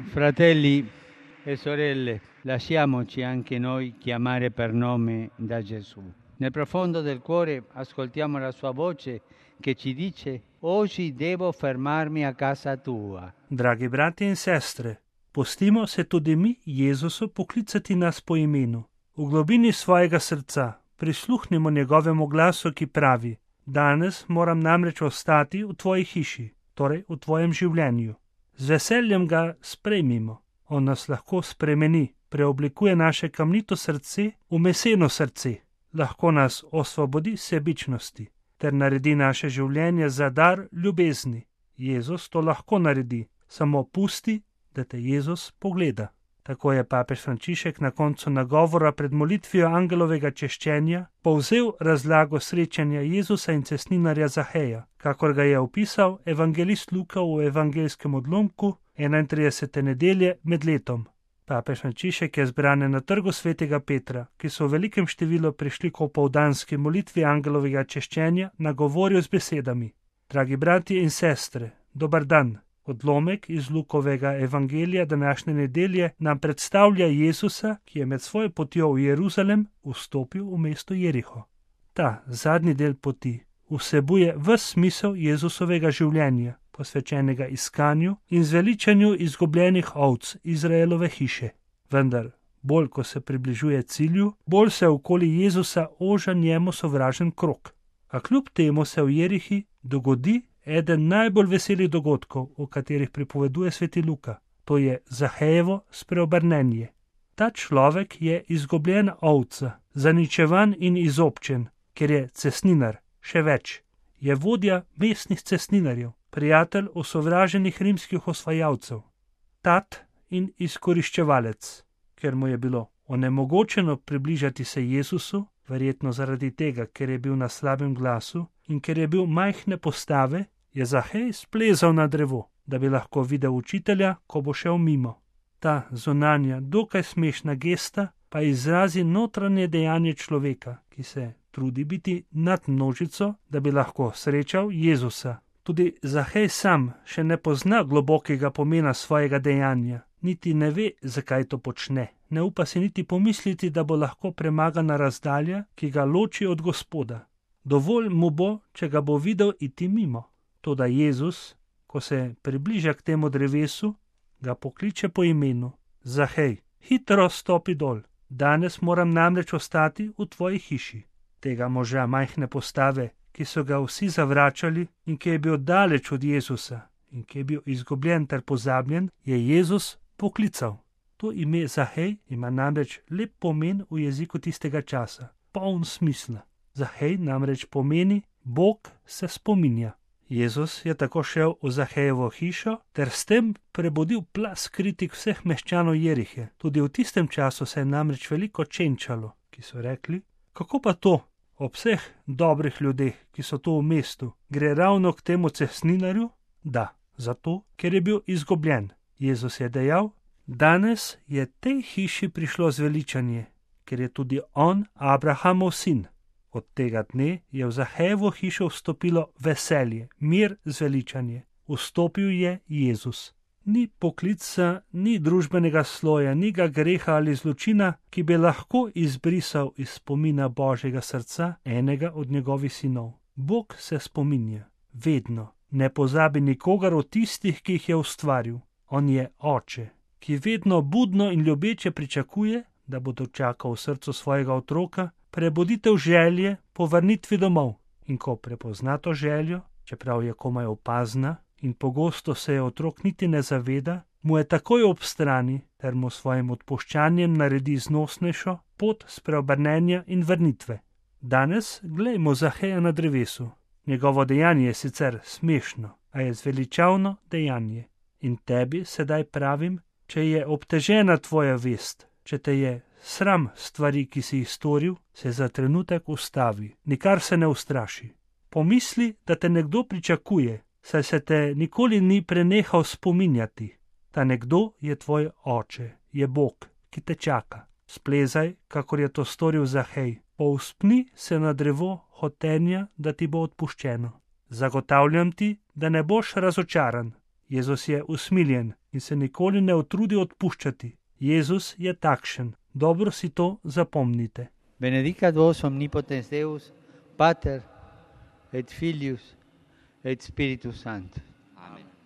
Fratelli e sorelle, lasciamoci anche noi chiamare per nome da Gesù. Nel profondo del cuore ascoltiamo la sua voce che ci dice: oggi devo fermarmi a casa tua. Dragi bratje in sestre, pustimo se tudi mi Jezusu poklicati nas po imenu. V globini svojega srca prisluhnimo njegovemu glasu, ki pravi: danes moram namreč ostati v tvoji hiši, torej v tvojem življenju. Z veseljem ga sprejmimo. On nas lahko spremeni, preoblikuje naše kamnito srce v meseno srce, lahko nas osvobodi sebičnosti ter naredi naše življenje za dar ljubezni. Jezus to lahko naredi, samo pusti, da te Jezus pogleda. Tako je papež Frančišek na koncu nagovora pred molitvijo angelovega češčenja povzel razlago srečanja Jezusa in cestninarja Zaheja, kakor ga je opisal evangelist Luka v evangeljskem odlomku 31. nedelje med letom. Papež Frančišek je zbrane na trgu svetega Petra, ki so v velikem številu prišli k opoldanski molitvi angelovega češčenja, nagovoril z besedami: dragi bratje in sestre, dober dan. Odlomek iz Lukovega evangelija današnje nedelje nam predstavlja Jezusa, ki je med svojo potjo v Jeruzalem vstopil v mesto Jeriho. Ta zadnji del poti vsebuje ves smisel Jezusovega življenja, posvečenega iskanju in zveličanju izgubljenih ovc Izraelove hiše. Vendar, bolj ko se približuje cilju, bolj se okoli Jezusa oža njemu sovražen krog. A kljub temu se v Jerihi dogodi eden najbolj veselih dogodkov, o katerih pripoveduje sveti Luka. To je Zahejevo spreobrnenje. Ta človek je izgubljena ovca, zaničevan in izobčen, ker je cestninar, še več. Je vodja mestnih cestninarjev, prijatelj osovraženih rimskih osvajalcev, tat in izkoriščevalec. Ker mu je bilo onemogočeno približati se Jezusu, verjetno zaradi tega, ker je bil na slabem glasu in ker je bil majhne postave, je Zahej splezal na drevo, da bi lahko videl učitelja, ko bo šel mimo. Ta zunanja, dokaj smešna gesta pa izrazi notranje dejanje človeka, ki se trudi biti nad množico, da bi lahko srečal Jezusa. Tudi Zahej sam še ne pozna globokega pomena svojega dejanja, niti ne ve, zakaj to počne. Ne upa si niti pomisliti, da bo lahko premagana razdalja, ki ga loči od Gospoda. Dovolj mu bo, če ga bo videl iti mimo. Toda Jezus, ko se približa k temu drevesu, ga pokliče po imenu: Zahej, hitro stopi dol, danes moram namreč ostati v tvoji hiši. Tega moža majhne postave, ki so ga vsi zavračali in ki je bil daleč od Jezusa in ki je bil izgubljen ter pozabljen, je Jezus poklical. To ime Zahej ima namreč lep pomen v jeziku tistega časa, poln smisla. Zahej namreč pomeni Bog se spominja. Jezus je tako šel v Zahejevo hišo ter s tem prebudil plaz kritik vseh meščanov Jerihe. Tudi v tistem času se je namreč veliko čenčalo, ki so rekli: kako pa to, ob vseh dobrih ljudeh, ki so tu v mestu, gre ravno k temu cestninarju? Da, zato, ker je bil izgubljen. Jezus je dejal: danes je tej hiši prišlo zveličanje, ker je tudi on Abrahamov sin. Od tega dne je v Zahejevo hišo vstopilo veselje, mir, zveličanje. Vstopil je Jezus. Ni poklica, ni družbenega sloja, ni ga greha ali zločina, ki bi lahko izbrisal iz spomina Božjega srca enega od njegovih sinov. Bog se spominja, vedno. Ne pozabi nikogar od tistih, ki jih je ustvaril. On je oče, ki vedno budno in ljubeče pričakuje, da bo dočakal v srcu svojega otroka prebuditev želje po vrnitvi domov. In ko prepozna to željo, čeprav je komaj opazna in pogosto se je otrok niti ne zaveda, mu je takoj ob strani ter mu svojim odpuščanjem naredi znosnejšo pot spreobrnenja in vrnitve. Danes glejmo Zaheja na drevesu. Njegovo dejanje je sicer smešno, a je zveličavno dejanje. In tebi sedaj pravim, če je obtežena tvoja vest, če te je sram stvari, ki si jih storil, se za trenutek ustavi, nikar se ne ustraši. Pomisli, da te nekdo pričakuje, saj se te nikoli ni prenehal spominjati. Ta nekdo je tvoj oče, je Bog, ki te čaka. Splezaj, kakor je to storil Zahej. Povzpni se na drevo hotenja, da ti bo odpuščeno. Zagotavljam ti, da ne boš razočaran. Jezus je usmiljen in se nikoli ne utrudi odpuščati. Jezus je takšen. Dobro si to zapomnite. Benedicat vos omnipotens Deus, Pater et Filius et Spiritus Sanctus.